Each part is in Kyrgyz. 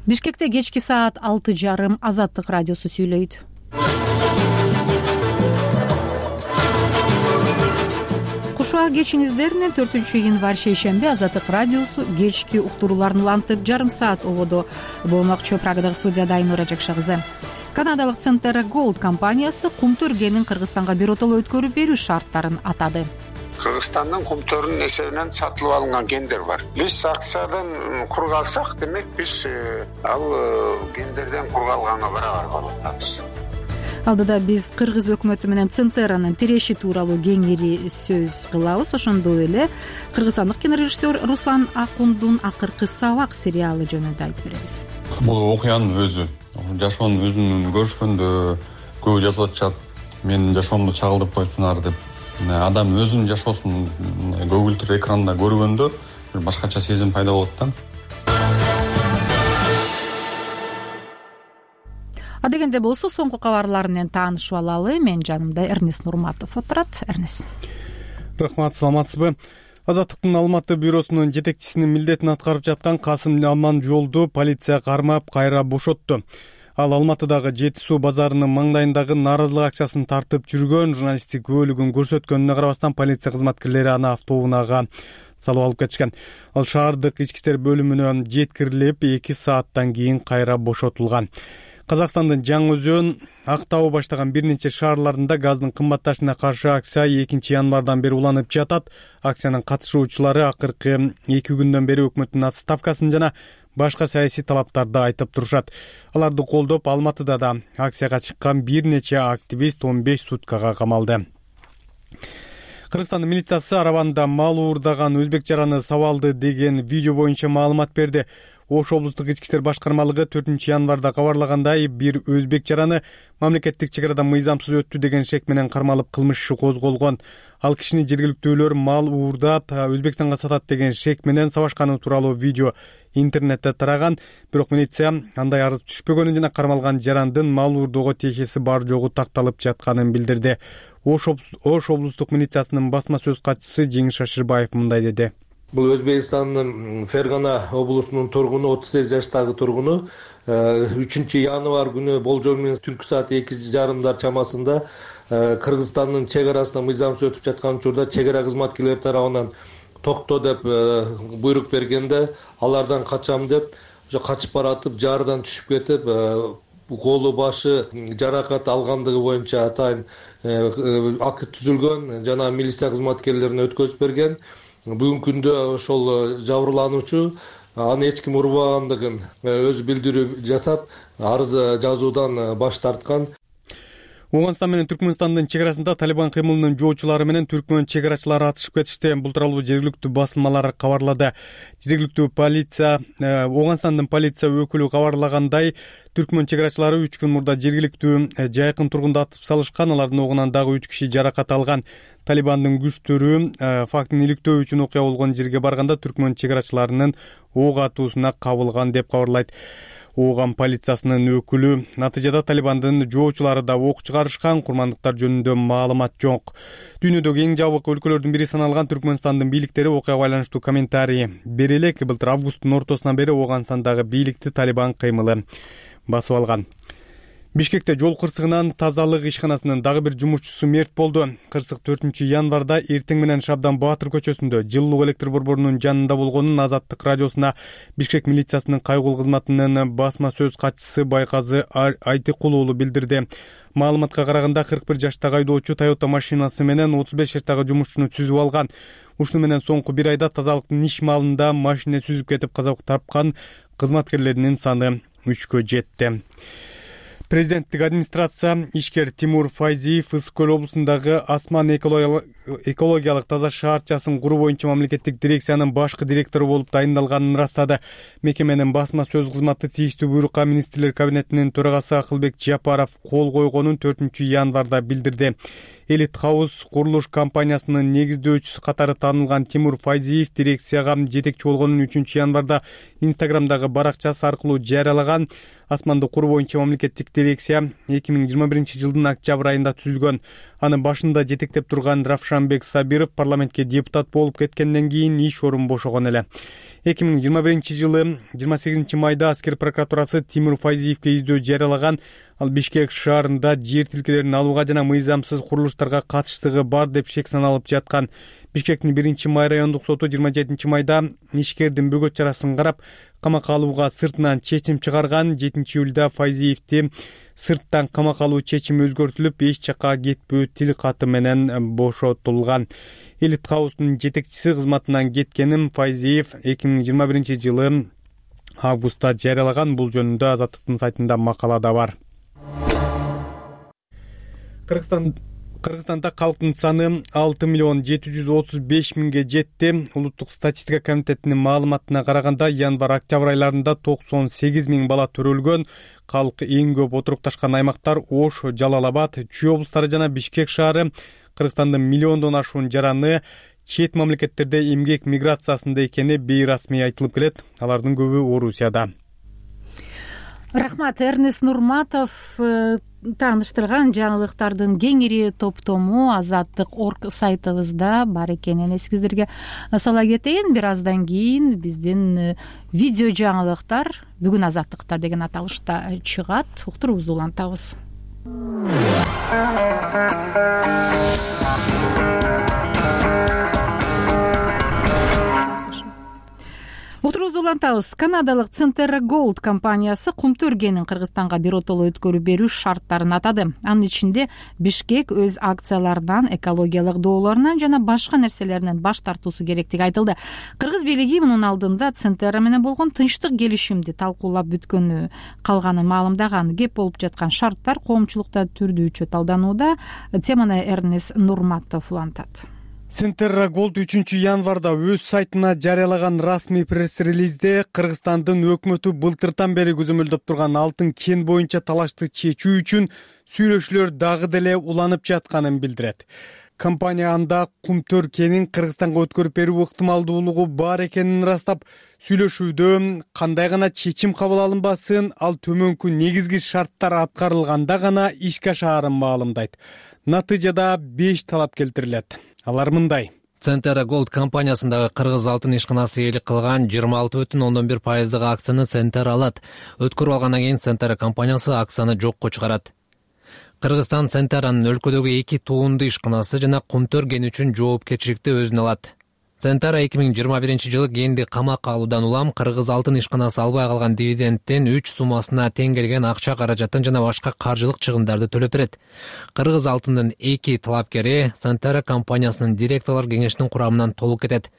Бишкекте кечки саат 6:30 Азаттык радиосу сүйлөйт. Кушуа кечиңиздер 4 январь шейшемби Азаттык радиосу кечки уктурууларын улантып жарым саат ободо болмокчу. Прагадагы студияда Айнура Жакшагызы. Канадалык Центер Голд компаниясы кумтөргенин Кыргызстанга биротоло өткөрүп берүү шарттарын атады. Кыргызстандын кумтөрүнүн эсебинен сатылып алынган гендер бар. Биз акциядан кур калсак, демек биз ал гендерден кур калганга барабар болуп атабыз. Алдыда биз кыргыз өкмөтү менен Центеранын тиреши тууралуу кеңири сөз кылабыз. Ошондой эле кыргызстандык кинорежиссер Руслан Акундун Акыркы сабак сериалы жөнүндө айтып беребиз. Бул окуянын өзү, жашоонун өзүн көрүшкөндө көбү жазып атышат. Менин жашоомду чагылдырып коюпсуңар деп. Адам өзүнүн жашоосун көгүлтүр экранда көргөндө бир башкача сезим пайда болот да. Адегенде болсо соңку кабарлар менен таанышып алалы. Мен жанымда Эрнес Нурматов отурат. Эрнес. Рахмат, саламатсызбы? Азаттыктын Алматы бюросунун жетекчисинин милдетин аткарып жаткан Касым Аманжолду полиция кармап кайра бошотту. Ал Алматыдагы Жети суу базарынын маңдайындагы нааразылык акчасын тартып жүргөн, журналисттик күбөлүгүн көрсөткөнүнө карабастан полиция кызматкерлери аны автоунага салып алып кетишкен. Ал шаардык ички иштер бөлүмүнө жеткирилип 2 сааттан кийин кайра бошотулган. Казакстандын Жаңы Өзөн, Актау баштаган бир нече шаарларында газдын кымбатташына каршы акция 2 январдан бери уланып жатат. Акциянын катышуучулары акыркы 2 күндөн бери өкмөттүн отставкасын жана башка саясий талаптарды айтып турушат. Аларды колдоп Алматыда да акцияга чыккан бир нече активист 15 суткага камалды. Кыргызстандын милициясы арабанда мал уурдаган өзбек жараны сабалды деген видео боюнча маалымат берди. Ош облустук ички иштер башкармалыгы 4 январда кабарлагандай, бир өзбек жараны мамлекеттик чек арадан мыйзамсыз өттү деген шек менен кармалып кылмыш иши козголгон. Ал кишини жергиликтүүлөр мал уурдап Өзбекстанга сатат деген шек менен сабашканы тууралуу видео интернетте тараган. Бирок милиция андай арыз түшпөгөнүн жана кармалган жарандын мал уурдоого тиешеси бар жогу такталып жатканын билдирди. Ош облустук милициясынын басма сөз катчысы Жеңиш Шашырбаев мындай деди. Бул Өзбекстандын Фергана облусунун тургуну, 38 жаштагы тургуну 3 январь күнү болжол менен түнкү саат 2:30 чамасында Кыргызстандын чек арасына мыйзамсыз өтүп жаткан учурда чек ара кызматкерлери тарабынан токто деп буйрук бергенде, алардан качам деп качып баратып жаардан түшүп кетип, колу башы жаракат алгандыгы боюнча атайын акт түзүлгөн жана милиция кызматкерлерине өткөзүп берген. Бүгүнкү күндө ошол жабырлануучу аны эч ким урбагандыгын өзү билдирүү жасап, арыз жазуудан баш тарткан. Оңгонстан менен Түркмөнстандын чек арасында Талибан кыймылынын жоочулары менен түркмөн чек арачылары атышып кетишти. Бул тууралуу жергиликтүү басылмалар кабарлады. Жергиликтүү полиция, Оңгонстандын полиция өкүлү кабарлагандай, түркмөн чек арачылары 3 күн мурда жергиликтүү жайкын тургунду атып салышкан. Алардын огунан дагы 3 киши жаракат алган. Талибандын күчтөрү фактын иликтөө үчүн окуя болгон жерге барганда түркмөн чек арачыларынын ок атуусуна кабылган деп кабарлайт Ооган полициясынын өкүлү. Натыйжада Талибандын жоочулары да ок чыгарышкан, курмандыктар жөнүндө маалымат жок. Дүйнөдөгү эң жабык өлкөлөрдүн бири саналган Түркмөнстандын бийликтери окуяга байланыштуу комментарий бере элек. Былтыр августтун ортосунан бери Оогандагы бийликти Талибан кыймылы басып алган. Бишкекте жол кырсыгынан тазалык ишканасынын дагы бир жумушчусу мерт болду. Кырсык 4 январда эртең менен Шабдан Баатыр көчөсүндө жылуу электр борборунун жанында болгонун Азаттык радиосуна Бишкек милициясынын кайгылуу кызматынын басма сөз катчысы Байказы Айтыкул уулу билдирди. Маалыматка караганда 41 жаштагы айдоочу Toyota машинасы менен 35 жаштагы жумушчуну түзүп алган. Ушуну менен соңку бир айда тазалыктын иш маалында машина сүзүп кетип каза тапкан кызматкерлеринин саны 3кө жетти. Президенттик администрация ишкер Тимур Файзиев Ысык Көл облусундагы Асман экологиялык таза шаарчасын куруу боюнча мамлекеттик дирекциянын башкы директору болуп дайындалганын ырастады. Мекеменин басма сөз кызматы тийиштүү буйрукка министрлер кабинетинин төрагасы Акылбек Жапаров кол койгонун 4 январда билдирди. Элит Хаус курулуш компаниясынын негиздөөчүсү катары таанылган Тимур Файзиев дирекцияга жетекчи болгонун 3 январда Инстаграмдагы баракчасы аркылуу жарыялаган. Асманды куруу боюнча мамлекеттик дирекция 2021 жылдын октябрь айында түзүлгөн. Аны башында жетектеп турган Равшанбек Сабиров парламентке депутат болуп кеткенден кийин иш орун бошогон эле. 2021-жылы 28 майда аскер прокуратурасы Тимур Файзиевке издөө жарыялаган. Ал Бишкек шаарында жер тилкелерин алууга жана мыйзамсыз курулуштарга катыштыгы бар деп шек саналып жаткан. Бишкектин 1-май райондук соту 27-майда ишкердин бөгөт чарасын карап, камакка алууга сыртынан чечим чыгарган. 7-июлда Файзиевди сырттан камакка алуу чечими өзгөртүлүп, эч жакка кетпөө тил каты менен бошотулган. Элит Хаустун жетекчиси кызматынан кеткенин Файзиев 2021-жылы августта жарыялаган. Бул жөнүндө Азаттыктын сайтында макала да бар. Кыргызстанда калктын саны 6.735.000 жетти. Улуттук статистика комитетинин маалыматына караганда, январь-октябрь айларында 98.000 бала төрөлгөн. Калк эң көп отурукташкан аймактар Ош, Жалал Абад, Чүй облустары жана Бишкек шаары. Кыргызстандын миллиондон ашуун жараны чет мамлекеттерде эмгек миграциясында экени бейрасмий айтылып келет. Алардын көбү Орусияда. Рахмат. Эрнест Нурматов тааныштырган жаңылыктардын кеңири топтому Азаттык.орг сайтыбызда бар экенин эсиңиздерге сала кетейин. Бир аздан кийин биздин видео жаңылыктар бүгүн Азаттыкта деген аталышта чыгат. Уктуруубузду улантабыз. Уктуруубузду улантабыз. Канадалык Centerra Gold компаниясы кумту өргенин Кыргызстанга биротоло өткөрүп берүү шарттарын атады. Анын ичинде Бишкек өз акцияларынан, экологиялык доолорунан жана башка нерселеринен баш тартуусу керектиги айтылды. Кыргыз бийлиги мунун алдында Centerra менен болгон тынчтык келишимди талкуулап бүткөнү калганын маалымдаган. Кеп болуп жаткан шарттар коомчулукта түрдүүчө талданууда. Теманы Эрнест Нурматов улантат. Centerra Gold 3-январда өз сайтына жарыялаган расмий пресс-релизде Кыргызстандын өкмөтү былтыртан бери көзөмөлдөп турган алтын кен боюнча талашты чечүү үчүн сүйлөшүүлөр дагы деле уланып жатканын билдирет. Компания анда кумтөр кенин Кыргызстанга өткөрүп берүү ыктымалдуулугу бар экенин ырастап, сүйлөшүүдө кандай гана чечим кабыл алынбасын, ал төмөнкү негизги шарттар аткарылганда гана ишке ашаарын маалымдайт. Натыйжада 5 талап келтирилет. Алар мындай. Centerra Gold компаниясындагы кыргыз алтын ишканасы ээлик кылган 26,11% акцияны Centerra алат. Өткөрүп алгандан кийин Centerra компаниясы акцияны жокко чыгарат. Кыргызстан Centerra'нын өлкөдөгү 2 туунду ишканасы жана кумтөр кени үчүн жоопкерчиликти өзүнө алат. Centerra 2021-жылы кенди камакка алуудан улам кыргыз алтын ишканасы албай калган дивидендтен 3 суммасына тең келген акча каражатын жана башка каржылык чыгымдарды төлөп берет. Кыргыз алтындын 2 талапкери Centerra компаниясынын директорлор кеңешинин курамынан толук кетет.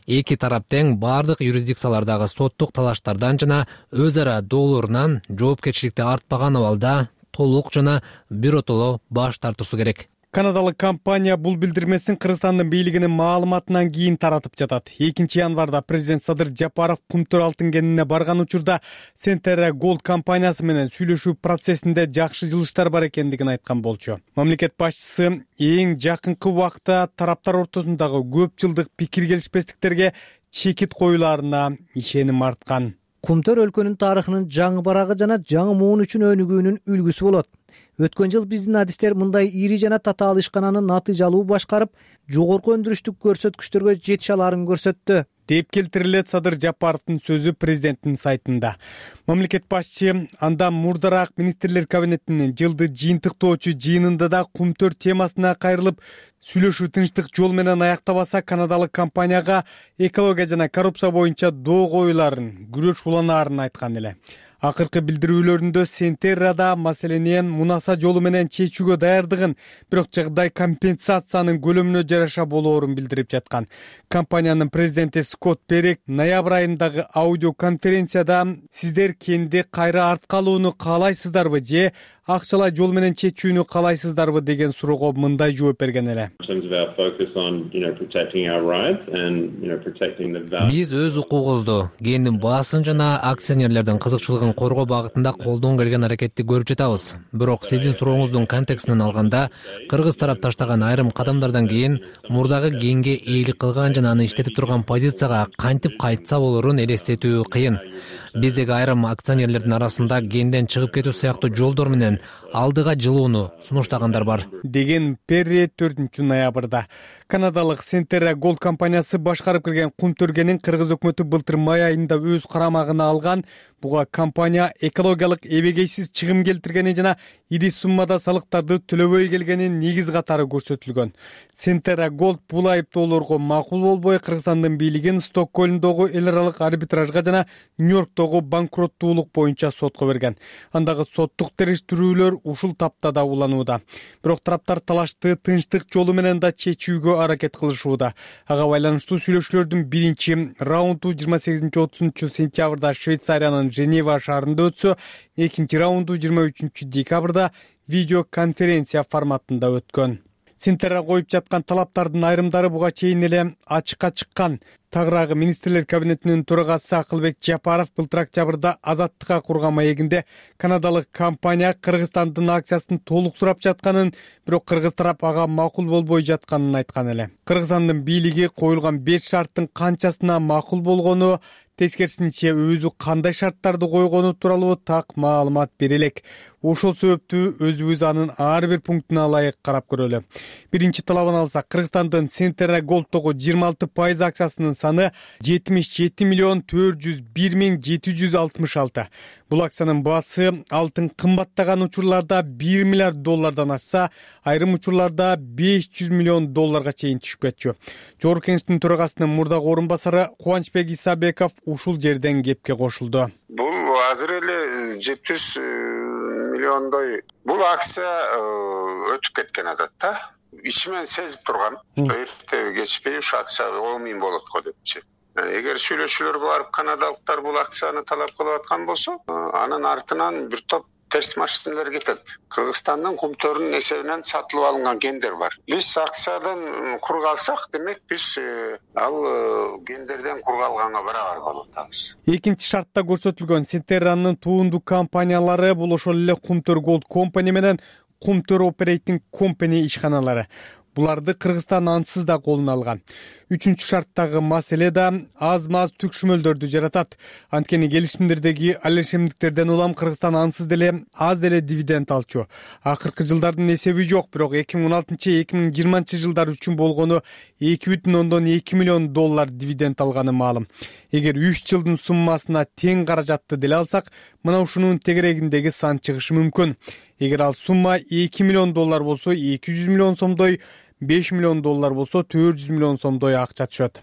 Эки тарап тең бардык юрисдикциялардагы соттук талаштардан жана өз ара доолорунан жоопкерчиликти артпаган абалда толук жана биротоло баш тартуусу керек. Канадалык компания бул билдирмесин Кыргызстандын бийлигинин маалыматынан кийин таратып жатат. 2-январда президент Садыр Жапаров кумтөр алтын кенине барган учурда Centerra Gold компаниясы менен сүйлөшүү процессинде жакшы жылыштар бар экендигин айткан болчу. Мамлекет башчысы эң жакынкы убакта тараптар ортосундагы көп жылдык пикир келишпестиктерге чекит коюларына ишеним арткан. Кумтөр өлкөнүн тарыхынын жаңы барагы жана жаңы муун үчүн өнүгүүнүн үлгүсү болот. Өткөн жыл биздин адистер мындай ири жана татаал ишкананы натыйжалуу башкарып, жогорку өндүрүштүк көрсөткүчтөргө жетише алаарын көрсөттү, деп келтирилет Садыр Жапаровдун сөзү президенттин сайтында. Мамлекет башчы андан мурдараак министрлер кабинетинин жылды жыйынтыктоочу жыйынында да кумтөр темасына кайрылып, сүйлөшүү тынчтык жол менен аяктабаса канадалык компанияга экология жана коррупция боюнча доо коюларын, күрөш уланаарын айткан эле. Акыркы билдирүүлөрүндө Centerra'да маселени мунаса жолу менен чечүүгө даярдыгын, бирок жагдай компенсациянын көлөмүнө жараша болоорун билдирип жаткан. Компаниянын президенти Скотт Перек ноябрь айындагы аудио конференцияда сиздер кенди кайра арткалууну каалайсыздарбы же акчалай жол менен чечүүнү каалайсыздарбы деген суроого мындай жооп берген эле. Биз өз укугубузду, кендин баасын жана акционерлердин кызыкчылыгын коргоо багытында колдон келген аракетти көрүп жатабыз. Бирок сиздин сурооңуздун контекстинен алганда, кыргыз тарап таштаган айрым кадамдардан кийин мурдагы кенге ээлик кылган жана аны иштетип турган позицияга кантип кайтса болорун элестетүү кыйын. биздеги айрым акционерлердин арасында кенден чыгып кетүү сыяктуу жолдор менен алдыга жылууну сунуштагандар бар, деген Перри 4-ноябрда. Канадалык Centerra Gold компаниясы башкарып келген Кумтөргенин кыргыз өкмөтү былтыр май айында өз карамагына алган. Буга компания экологиялык эбегейсиз чыгым келтиргени жана ири суммада салыктарды төлөбөй келгенин негиз катары көрсөтүлгөн. Centerra Gold бул айыптоолорго макул болбой Кыргызстандын бийлигин Стокгольмдогу эл аралык арбитражга жана Нью-Йорктогу банкроттуулук боюнча сотко берген. Андагы соттук териштирүүлөр ушул таптада уланууда. Бирок тараптар талашты тынчтык жолу менен да чечүүгө аракет кылышууда. Ага байланыштуу сүйлөшүүлөрдүн биринчи раунду 28-30 сентябрда Швейцариянын Женева шаарында өтсө, экинчи раунду 23 декабрда видеоконференция форматында өткөн. Centerra коюп жаткан талаптардын айрымдары буга чейин эле ачыкка чыккан. Тагыраагы министрлер кабинетинин төрагасы Акылбек Жапаров былтыр октябрда Азаттыкка курган маегинде канадалык компания Кыргызстандын акциясын толук сурап жатканын, бирок кыргыз тарап ага макул болбой жатканын айткан эле. Кыргызстандын бийлиги коюлган 5 шарттын канчасына макул болгону, тескерисинче өзү кандай шарттарды койгону тууралуу так маалымат бере элек. Ошол себептүү өзүбүз анын ар бир пунктуна ылайык карап көрөлү. Биринчи талабын алсак, Кыргызстандын Centerra Gold'тогу 26% акциясынын саны 77,401,766. Бул акциянын баасы алтын кымбаттаган учурларда $1 миллиард ашса, айрым учурларда $500 миллион чейин түшүп кетчү. Жогорку Кеңештин төрагасынын мурдагы орун басары Кубанычбек Исабеков ушул жерден кепке кошулду. Бул азыр эле 700 миллиондой бул акция өтүп кеткен адатта. Ичимен сезип тургам, что эрте кечпей ушу акция 10 миң болот го депчи. Эгер сүйлөшүүлөргө барып канадалыктар бул акцияны талап кылып аткан болсо, анын артынан бир топ терс машиналар кетет. Кыргызстандын Кумтөрүнүн эсебинен сатылып алынган гендер бар. Биз акциядан кург алсак, демек биз ал гендерден кург алганга барабар болуп атабыз. Экинчи шартта көрсөтүлгөн Centerra'нын туунду компаниялары бул ошол эле Кумтөр Gold Company менен Кумтөр Operating Company ишканалары. Буларды Кыргызстан ансыз да колуна алган. Үчүнчү шарттагы маселе да аз-маз түкшүмөлдөрдү жаратат. Анткени келишимдердеги алешемдиктерден улам Кыргызстан ансыз деле аз деле дивиденд алчу. Акыркы жылдардын эсеби жок, бирок 2016-2020 жылдар үчүн болгону $2,2 миллион дивиденд алганы маалым. Эгер 3 жылдын суммасына тең каражатты деле алсак, мына ушунун тегерегиндеги сан чыгышы мүмкүн. Эгер ал сумма $2 миллион болсо, $200 миллион сомдой, $5 миллион болсо, $400 миллион сомдой акча түшөт.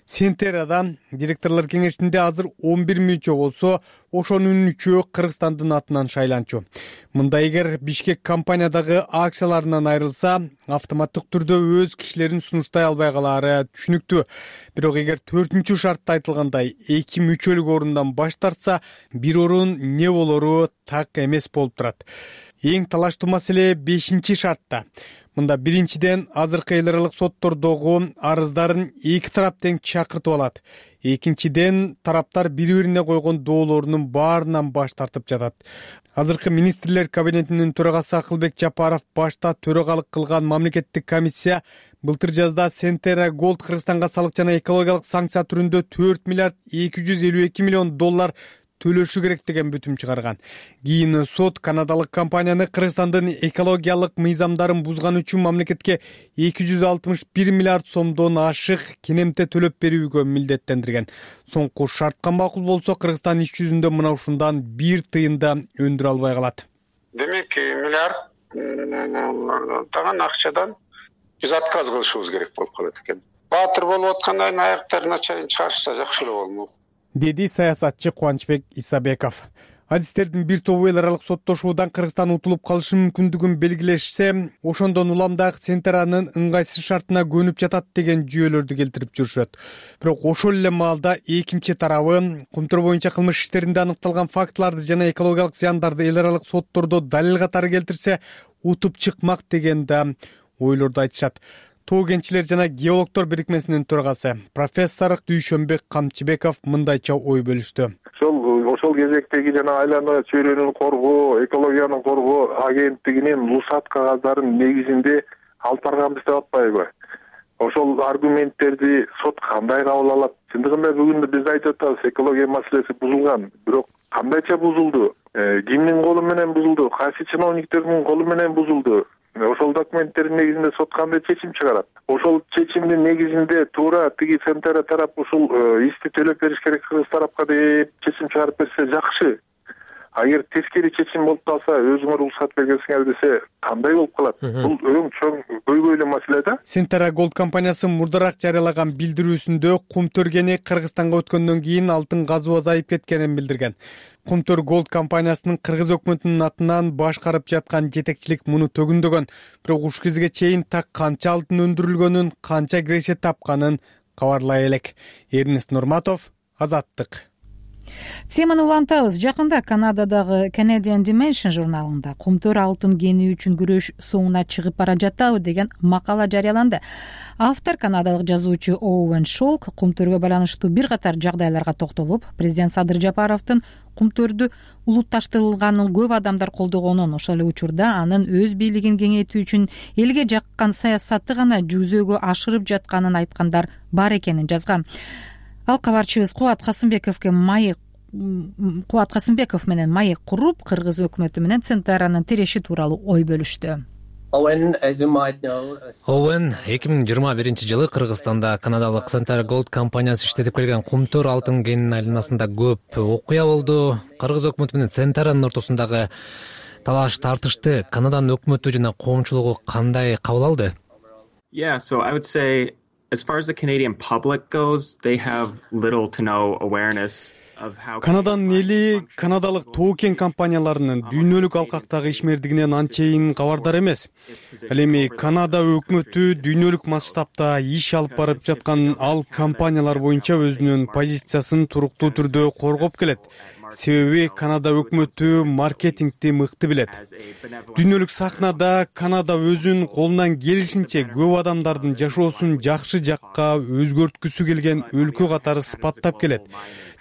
Centerra'дан директорлор кеңешинде азыр 11 мүчө болсо, ошонун 3-өө Кыргызстандын атынан шайланчу. Мында эгер Бишкек компаниядагы акцияларынан айрылса, автоматтык түрдө өз кишилерин сунуштай албай калаары түшүнүктүү. Бирок эгер 4-чү шартта айтылгандай 2 мүчөлүк орундан баш тартса, бир орун не болору так эмес болуп турат. Эң талаштуу маселе 5-чи шартта. Мында биринчиден азыркы эл аралык соттордогу арыздарын эки тарап тең чакыртып алат. Экинчиден тараптар бири-бирине койгон доолорунун баарынан баш тартып жатат. Азыркы министрлер кабинетинин төрагасы Акылбек Жапаров башта төрагалык кылган мамлекеттик комиссия былтыр жазда Centerra Gold Кыргызстанга салык жана экологиялык санкция түрүндө $4,252 миллион төлөшү керек деген бүтүм чыгарган. Кийин сот канадалык компанияны Кыргызстандын экологиялык мыйзамдарын бузган үчүн мамлекетке $261 миллиард сомдон ашык кенемте төлөп берүүгө милдеттендирген. Соңку шартка макул болсо, Кыргызстан иш жүзүндө мына ушундан 1 тыйын да өндүрө албай калат. Демек, миллиард таган акчадан биз отказ кылышыбыз керек болуп калат экен. Баатыр болуп аткандан аяктарына чейин чыгарышса жакшы эле болмок, деди саясатчы Кубанычбек Исабеков. Адистердин бир тобу эл аралык соттошуудан Кыргызстан утулуп калышы мүмкүндүгүн белгилешсе, ошондон улам дагы Centerra'нын ыңгайсыз шартына көнүп жатат деген жүйөлөрдү келтирип жүрүшөт. Бирок ошол эле маалда экинчи тарабы Кумтөр боюнча кылмыш иштеринде аныкталган фактыларды жана экологиялык зыяндарды эл аралык соттордо далил катары келтирсе, утуп чыкмак деген да ойлорду айтышат. Тоо кенчилер жана геологдор бирикмесинин төрагасы профессор Дүйшөнбек Камчыбеков мындайча ой бөлүштү. Ошол кезектеги жана айлана чөйрөнүн коргоо, экологиянын коргоо агенттигинин рухсат кагаздарын негизинде алып барганбыз деп атпайбы? Ошол аргументтерди сот кандай кабыл алат? чындыгында бүгүн биз айтып атабыз, экология маселеси бузулган. Бирок кандайча бузулду? Кимдин колу менен бузулду? Кайсы чиновниктердин колу менен бузулду? Ошол документтердин негизинде сот кандай чечим чыгарат? Ошол чечимдин негизинде туура тиги Центера тарап ушул ишти төлөп бериш керек кыргыз тарапка деп чечим чыгарып берсе жакшы. Агер тескери чечим болуп калса, өзүңөр уруксат бергенсиңер десе, кандай болуп калат? Бул өң чоң көйгөйлүү маселе да. Центера Gold компаниясы мурдараак жарыялаган билдирүүсүндө кумтөр кени Кыргызстанга өткөндөн кийин алтын казуу азайып кеткенин билдирген. Кумтөр Gold компаниясынын кыргыз өкмөтүнүн атынан башкарып жаткан жетекчилик муну төгүндөгөн. Бирок ушул кезге чейин так канча алтын өндүрүлгөнүн, канча киреше тапканын кабарлай элек. Эрнест Нурматов, Азаттык. Теманы улантабыз. Жакында Канададагы Canadian Dimension журналында кумтөр алтын кени үчүн күрөш соңуна чыгып бара жатабы деген макала жарыяланды. Автор канадалык жазуучу Оуэн Шолк кумтөргө байланыштуу бир катар жагдайларга токтолуп, президент Садыр Жапаровдун кумтөрдү улутташтырылганын көп адамдар колдогонун, ошол эле учурда анын өз бийлигин кеңейтүү үчүн элге жаккан саясаты гана жүзөгө ашырып жатканын айткандар бар экенин жазган. Ал кабарчыбыз Кубат Касымбеков менен маек куруп, кыргыз өкмөтү менен Центеранын тиреши тууралуу ой бөлүштү. Оуэн 2021-жылы Кыргызстанда канадалык Center Gold компаниясы иштетип келген кумтөр алтын кенинин айланасында көп окуя болду. Кыргыз өкмөтү менен Центеранын ортосундагы талаш тартышты Канаданын өкмөтү жана коомчулугу кандай кабыл алды? As far as the Canadian public goes, they have little to no awareness of how Канаданын эли канадалык тоо кен компанияларынын дүйнөлүк алкактагы ишмердигинен анчейин кабардар эмес. Ал эми Канада өкмөтү дүйнөлүк масштабта иш алып барып жаткан ал компаниялар боюнча өзүнүн позициясын туруктуу түрдө коргоп келет. Себеби Канада өкмөтү маркетингди мыкты билет. Дүйнөлүк сахнада Канада өзүн колунан келишинче көп адамдардын жашоосун жакшы жакка өзгөрткүсү келген өлкө катары сыпаттап келет.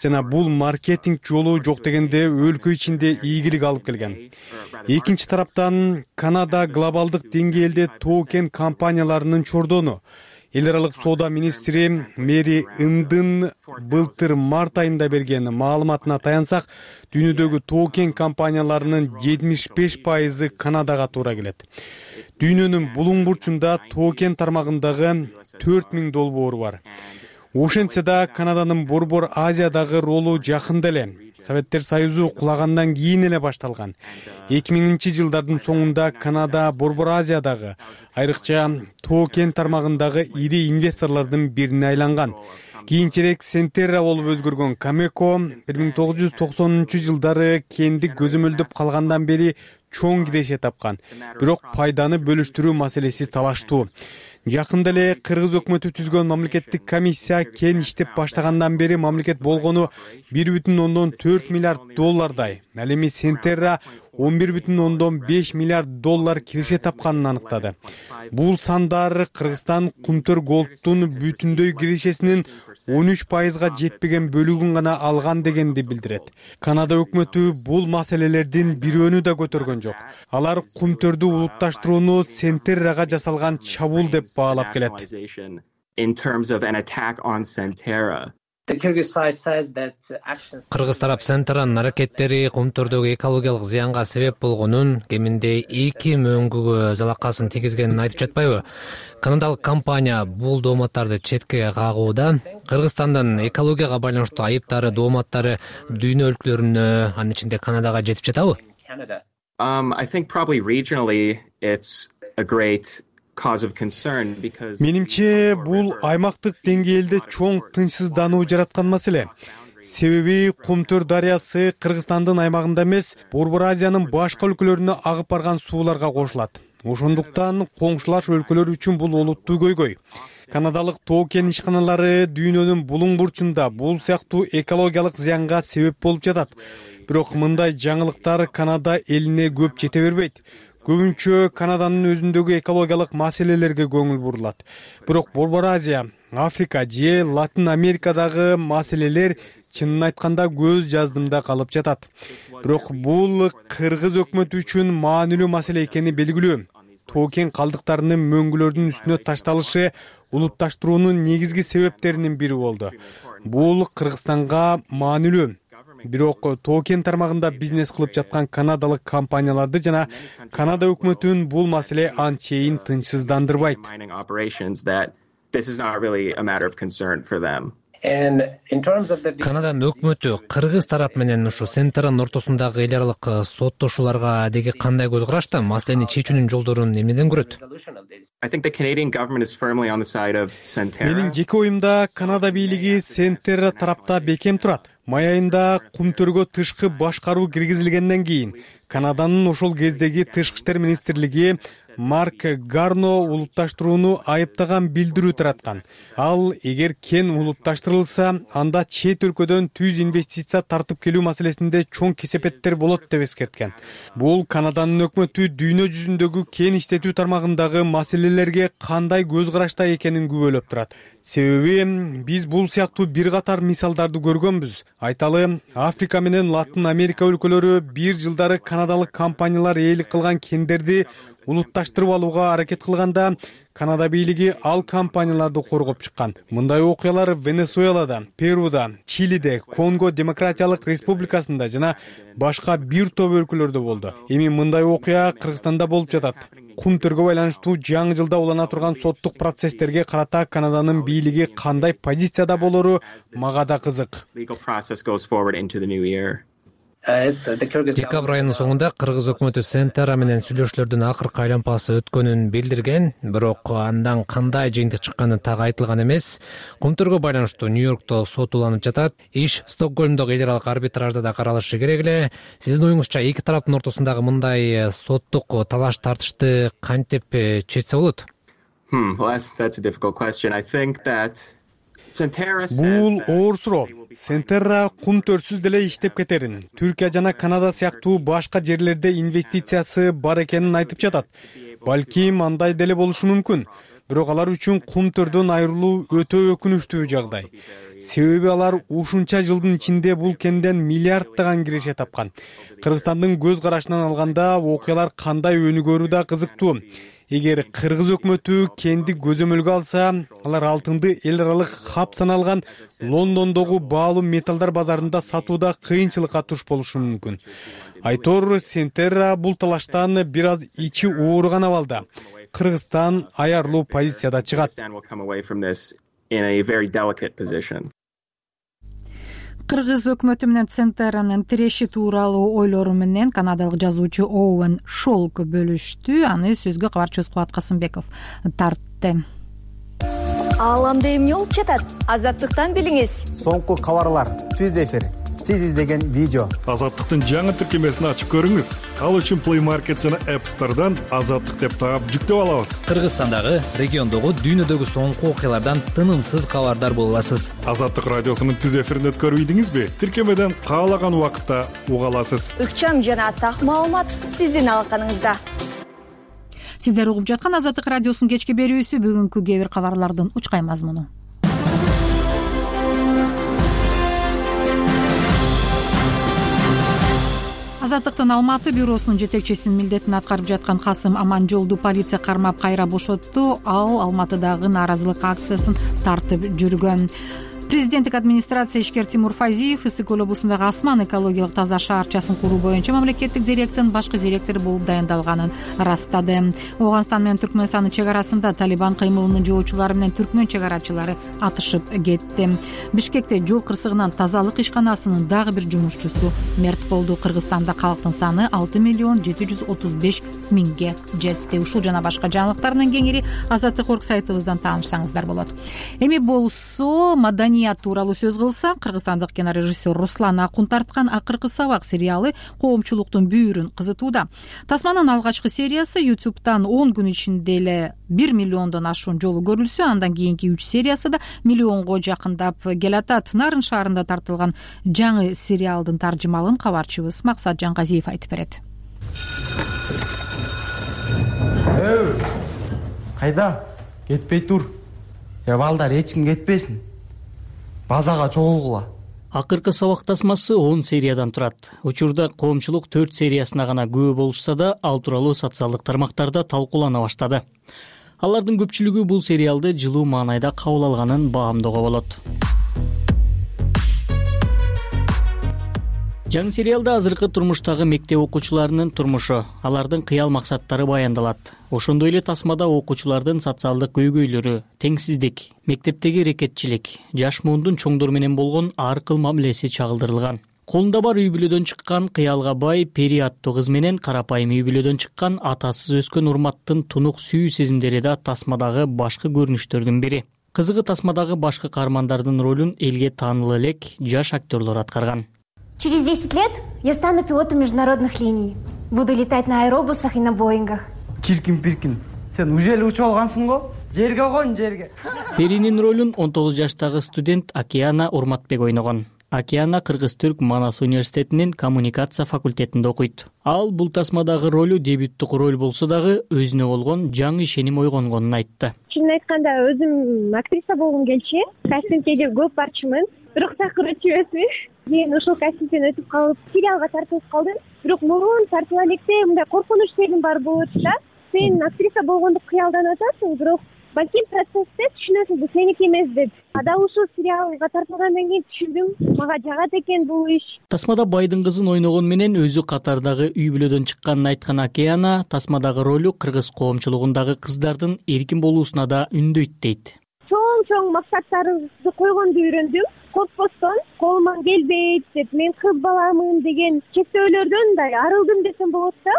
Жана бул маркетинг жолу жок дегенде өлкө ичинде ийгилик алып келген. Экинчи тараптан Канада глобалдык деңгээлде тоо кен компанияларынын чордону. Эл аралык соода министри Мэри Ындын былтыр март айында берген маалыматына таянсак, дүйнөдөгү тоо кен компанияларынын 75% Канадага туура келет. Дүйнөнүн булуң бурчунда тоо кен тармагындагы 4000 долбоор бар. Ошентсе да Канаданын Борбор Азиядагы ролу жакында эле Советтер Союзу кулагандан кийин эле башталган. 2000-жылдардын соңунда Канада Борбор Азиядагы, айрыкча тоо кен тармагындагы ири инвесторлордун бирине айланган. Кийинчерээк Центера болуп өзгөргөн Камеко 1990-жылдары кенди көзөмөлдөп калгандан бери чоң киреше тапкан. Бирок пайданы бөлүштүрүү маселеси талаштуу. Жакында эле кыргыз өкмөтү түзгөн мамлекеттик комиссия кен иштеп баштагандан бери мамлекет болгону 1,4 миллиард доллардай. Ал эми Центера 11,5 миллиард доллар киреше тапканын аныктады. Бул сандар Кыргызстан кумтөр голдтун бүтүндөй кирешесинин 13%га жетпеген бөлүгүн гана алган дегенди билдирет. Канада өкмөтү бул маселелердин бирөөнү да көтөргөн жок. Алар кумтөрдү улутташтырууну Центерага жасалган чабуул деп баалап келет. Кыргыз тарап Центеранын аракеттери кумтөрдөгү экологиялык зыянга себеп болгонун, кеминде 2 мөңгүгө залакасын тийгизгенин айтып жатпайбы? Канадалык компания бул дооматтарды четке кагууда. Кыргызстандын экологияга байланыштуу айыптары, дооматтары дүйнө өлкөлөрүнө, анын ичинде Канадага жетип жатабы? I think probably regionally it's a great Менимче бул аймактык деңгээлде чоң тынчсыздануу жараткан маселе. Себеби кумтөр дарыясы Кыргызстандын аймагында эмес, Борбор Азиянын башка өлкөлөрүнө агып барган сууларга кошулат. Ошондуктан коңшулаш өлкөлөр үчүн бул олуттуу көйгөй. Канадалык тоо кен ишканалары дүйнөнүн булуң бурчунда бул сыяктуу экологиялык зыянга себеп болуп жатат. Бирок мындай жаңылыктар Канада элине көп жете бербейт. Көбүнчө Канаданын өзүндөгү экологиялык маселелерге көңүл бурулат. Бирок Борбор Азия, Африка же Латин Америкадагы маселелер чынын айтканда көз жаздымда калып жатат. Бирок бул кыргыз өкмөтү үчүн маанилүү маселе экени белгилүү. Тоо кен калдыктарынын мөңгүлөрдүн үстүнө ташталышы улутташтыруунун негизги себептеринин бири болду. Бул Кыргызстанга маанилүү. Бирок токен тармагында бизнес кылып жаткан канадалык компанияларды жана Канада өкмөтүн бул маселе анчейин тынчсыздандырбайт. Канаданын өкмөтү Кыргыз тарап менен ушу Центр'нын ортосундагы эл аралык соттошууларга деги кандай көз карашта? Маселени чечүүнүн жолдорун эмнеден көрөт? Менин жеке оюмда Канада бийлиги Центр тарапта бекем турат. Май айында Кумтөргө тышкы башкаруу киргизилгенден кийин Канаданын ошол кездеги тышкы иштер министрлиги Марк Гарно улутташтырууну айыптаган билдирүү тараткан. Ал эгер кен улутташтырылса, анда чет өлкөдөн түз инвестиция тартып келүү маселесинде чоң кесепеттер болот деп эскерткен. Бул Канаданын өкмөтү дүйнө жүзүндөгү кен иштетүү тармагындагы маселелерге кандай көз карашта экенин күбөлөп турат. Себеби биз бул сыяктуу бир катар мисалдарды көргөнбүз. Айталы, Африка менен Латын Америка өлкөлөрү бир жылдары канадалык компаниялар ээлик кылган кендерди улутташтырып алууга аракет кылганда, Канада бийлиги ал компанияларды коргоп чыккан. Мындай окуялар Венесуэлада, Перуда, Чилиде, Конго Демократиялык Республикасында жана башка бир топ өлкөлөрдө болду. Эми мындай окуя Кыргызстанда болуп жатат. Кумтөргө байланыштуу жаңы жылда улана турган соттук процесстерге карата Канаданын бийлиги кандай позицияда болору мага да кызык. Декабрь айынын соңунда Кыргыз өкмөтү Центр менен сүйлөшүүлөрдүн акыркы айланпасы өткөнүн билдирген, бирок андан кандай жыйынтык чыкканы так айтылган эмес. Кумтөргө байланыштуу Нью-Йоркто сот уланып жатат. Иш Стокгольмдогу эл аралык арбитражда да каралышы керек эле. Сиздин оюңузча эки тараптын ортосундагы мындай соттук талаш тартышты кантип чечсе болот? That's a difficult question. I think that Бул оор суроо. Центр Кумтөрсүз деле иштеп кетерин. Түркия жана Канада сыяктуу башка жерлерде инвестициясы бар экенин айтып жатат. Балким андай деле болушу мүмкүн. Бирок алар үчүн Кумтөрдөн айрылуу өтө өкүнүчтүү жагдай. Себеби алар ушунча жылдын ичинде бул кенден миллиарддаган киреше тапкан. Кыргызстандын көз карашынан алганда окуялар кандай өнүгөрү да кызыктуу. Эгер Кыргыз өкмөтү кенди көзөмөлгө алса, алар алтынды эл аралык хаб саналган Лондондогу баалуу металлдар базарында сатууда кыйынчылыкка туш болушу мүмкүн. Айтор, Центр бул талаштан бир аз ичи ооруган абалда. Кыргызстан аярлуу позицияда чыгат. Кыргыз өкмөтү менен Центрнын тиреши тууралуу ойлору менен канадалык жазуучу Оуэн Шолк бөлүштү. Аны сөзгө кабарчыбыз Кубат Касымбеков тартты. Ааламда эмне болуп жатат? Азаттыктан билиңиз. Соңку кабарлар, түз эфир, сиз издеген видео. Азаттыктын жаңы тиркемесин ачып көрүңүз. Ал үчүн Play Market жана App Store'дан Азаттык деп таап жүктөп алабыз. Кыргызстандагы, региондогу, дүйнөдөгү соңку окуялардан тынымсыз кабардар боло аласыз. Азаттык радиосунун түз эфирин өткөрбөйдүңүзбү? Тиркемеден каалаган убакытта уга аласыз. Ыкчам жана так маалымат сиздин алаканыңызда. Сиздер угуп жаткан Азаттык радиосунун кечки берүүсү. Бүгүнкү кээ бир кабарлардын учкай мазмуну. Азаттыктын Алматы бюросунун жетекчисинин милдетин аткарып жаткан Касым Аманжолду полиция кармап кайра бошотту. Ал Алматыдагы нааразылык акциясын тартып жүргөн. Президенттик администрация ишкер Тимур Фазиев Ысык Көл облусундагы Асман экологиялык таза шаарчасын куруу боюнча мамлекеттик дирекциянын башкы директору болуп дайындалганын ырастады. Ооганстан менен Түркмөнстандын чек арасында Талибан кыймылынын жоочулары менен түркмөн чек арачылары атышып кетти. Бишкекте жол кырсыгынан тазалык ишканасынын дагы бир жумушчусу мерт болду. Кыргызстанда калктын саны 6,735,000 жетти. Ушул жана башка жаңылыктардын кеңири Азаттык.орг сайтыбыздан таанышсаңыздар болот. Эми болсо маданият тууралуу сөз кылсак, кыргызстандык кинорежиссер Руслан Акун тарткан Акыркы сабак сериалы коомчулуктун бүйүрүн кызытууда. Тасманын алгачкы сериясы YouTube'дан 10 күн ичинде эле 1 миллиондон ашуун жолу көрүлсө, андан кийинки 3 сериясы да миллионго жакындап келатат. Нарын шаарында тартылган жаңы сериалдын таржымалын кабарчыбыз Максат Жаңгазиев айтып берет. Кайда? Кетпей тур. Я балдар, эч ким кетпесин. Базага чогулгула. Акыркы сабак тасмасы 10 сериядан турат. Учурда коомчулук 4 сериясына гана күбө болушса да, ал тууралуу социалдык тармактарда талкуулана баштады. Алардын көпчүлүгү бул сериалды жылуу маанайда кабыл алганын баамдоого болот. жаңы сериалда азыркы турмуштагы мектеп окуучуларынын турмушу, алардын кыял максаттары баяндалат. Ошондой эле тасмада окуучулардын социалдык көйгөйлөрү, теңсиздик, мектептеги рекетчилик, жаш муундун чоңдор менен болгон ар кыл мамилеси чагылдырылган. Колунда бар үй бүлөдөн чыккан кыялга бай Пери аттуу кыз менен карапайым үй бүлөдөн чыккан атасыз өскөн Урматтын тунук сүйүү сезимдери да тасмадагы башкы көрүнүштөрдүн бири. Кызыгы тасмадагы башкы каармандардын ролун элге таанылуу элек жаш актерлор аткарган. Через 10 лет я стану пилотом международных линий. Буду летать на аэробусах и на Боингах. Киркин, сен уже эле учуп алгансың го? Жерге кон, жерге. Перинин ролун 19 жаштагы студент Акиана Урматбек ойногон. Акиана Кыргыз-Түрк Манас университетинин коммуникация факультетинде окуйт. Ал бул тасмадагы ролу дебюттук роль болсо дагы өзүнө болгон жаңы ишеним ойгонгонун айтты. Чынын айтканда өзүм актриса болгум келчү. Кастингге көп барчумун, бирок чакырып жиберди. Мен ошол кастингден өтүп калып, сериалга тартылып калдым. Бирок мурун тартыла электе мындай коркунуч сезим бар болот да. Сен актриса болгондук кыялданып атасың, бирок балким процессте түшүнөсүң, бул сеники эмес деп. Ада ушул сериалга тартылгандан кийин түшүндүм, мага жагат экен бул иш. Тасмада байдын кызын ойногон менен өзү катардагы үй бүлөдөн чыкканын айткан Акиана тасмадагы ролу кыргыз коомчулугундагы кыздардын эркин болуусуна да үндөйт дейт. Чоң максаттарымды койгонду үйрөндүм. Коркпостон, колуман келбейт деп, мен кыз баламын деген чектөөлөрдөн мындай арылдым десем болот да.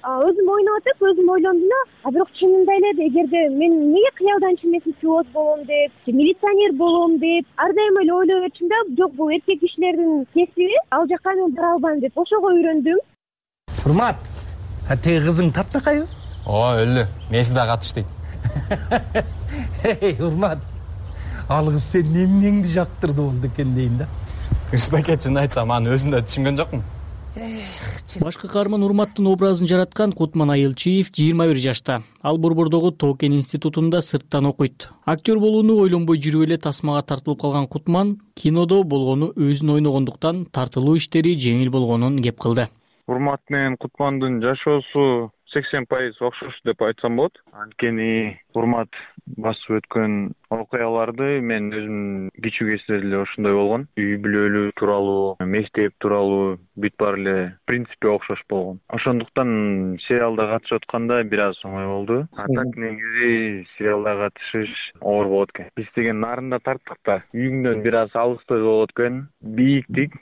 Өзүм ойноп атып, өзүм ойлондум да, бирок чынында эле эгерде мен эмнеге кыялданчу эмес пилот болом деп, милиционер болом деп, ар дайым эле ойлой берчүм да, жок бул эркек кишилердин кесиби, ал жакка мен бара албайм деп, ошого үйрөндүм. Урмат, теги кызың таптакайбы? Ооба, өлө. Меси да катыш дейт. Урмат, ал кыз сенин эмнеңди жактырды болду экен дейм да. Кырсызбайке, чын айтсам, аны өзүм да түшүнгөн жокмун. Башкы каарман Урматтын образын жараткан Кутман Айылчиев 21 жашта. Ал Борбордогу Токен институтунда сырттан окуйт. Актер болууну ойлонбой жүрүп эле тасмага тартылып калган Кутман кинодо болгону өзүн ойногондуктан тартылуу иштери жеңил болгонун кеп кылды. Урмат менен Кутмандын жашоосу 80% окшош деп айтсам болот. Анткени Урмат басып өткөн окуяларды мен өзүм кичүү кезинде эле ошондой болгон. Үй бүлөлүү тууралуу, мектеп тууралуу бүт баары эле принципи окшош болгон. Ошондуктан сериалда катышып атканда бир аз оңой болду. А так негизи сериалда катышыш оор болот экен. Биз деген нарында тарттык да. Үйүңдөн бир аз алысты болот экен. Бийиктик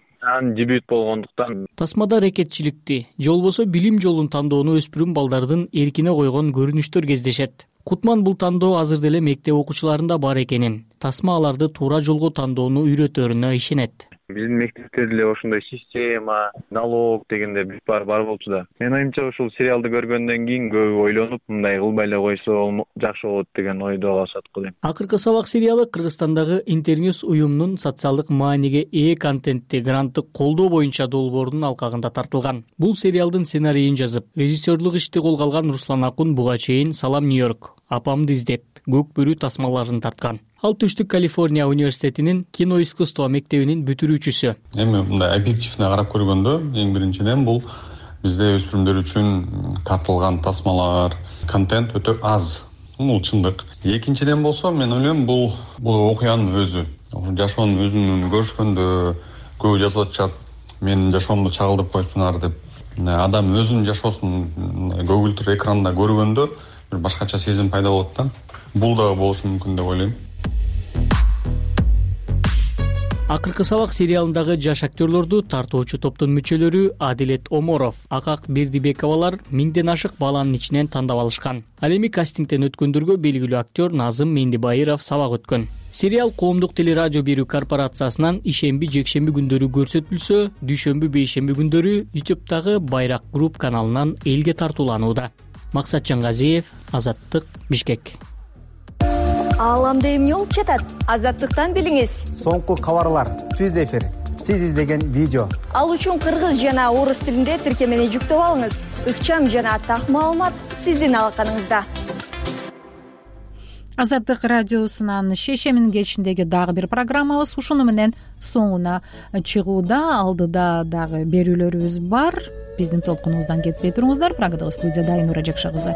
дебют болгондуктан тасмада рекетчиликти же болбосо билим жолун тандоону өспүрүм балдардын эркине койгон көрүнүштөр кездешет. Кутман бул тандоо азыр деле мектеп окуучуларында бар экенин, тасма аларды туура жолго тандоону үйрөтөрүнө ишенет. Биздин мектепте деле ошондой система, налог дегенде бүт баары бар болчу да. Мен оюмча ушул сериалды көргөндөн кийин көп ойлонуп, мындай кылбай эле койсо жакшы болот деген ойдо калышат го дейм. Акыркы сабак сериалы Кыргызстандагы Интерньюз уюмунун социалдык мааниге ээ контентти гранттык колдоо боюнча долбоорунун алкагында тартылган. Бул сериалдын сценарийин жазып, режиссерлук ишти колго алган Руслан Акун буга чейин Салам Нью-Йорк, Апамды издеп, Көк бөрү тасмаларын тарткан. Ал Түштүк Калифорния университетинин кино искусство мектебинин бүтүрүүчүсү. Эми мындай объективден карап көргөндө, эң биринчиден бул бизде өспүрүмдөр үчүн тартылган тасмалар, контент өтө аз. Бул чындык. Экинчиден болсо, мен ойлойм, бул окуянын өзү. Жашоонун өзүн көрүшкөндө көп жазып атышат. Менин жашоомду чагылдырып коюптуңар деп. Адам өзүнүн жашоосун көгүлтүр экранда көргөндө бир башкача сезим пайда болот да. Бул да болушу мүмкүн деп ойлойм. Акыркы сабак сериалындагы жаш актерлорду тартуучу топтун мүчөлөрү Адилет Оморов, Акак Бердибековалар 1000ден ашык баланын ичинен тандап алышкан. Ал эми кастингден өткөндөргө белгилүү актер Назым Мендибайыров сабак өткөн. Сериал Коомдук телерадио берүү корпорациясынан ишемби-жекшемби күндөрү көрсөтүлсө, дүйшөмбү-бейшемби күндөрү YouTube'дагы Байрак Group каналынан элге тартууланууда. Максат Жангазиев, Азаттык, Бишкек. Ааламда эмне болуп жатат? Азаттыктан билиңиз. Соңку кабарлар, түз эфир, сиз издеген видео. Ал үчүн кыргыз жана орус тилинде тиркемени жүктөп алыңыз. Ыкчам жана так маалымат сиздин алаканыңызда. Азаттык радиосунан шешемин кечиндеги дагы бир программабыз ушуну менен соңуна чыгууда. Алдыда дагы берүүлөрүбүз бар. Биздин толкунубуздан кетпей туруңуздар. Прагадагы студияда Айнура Жакша кызы.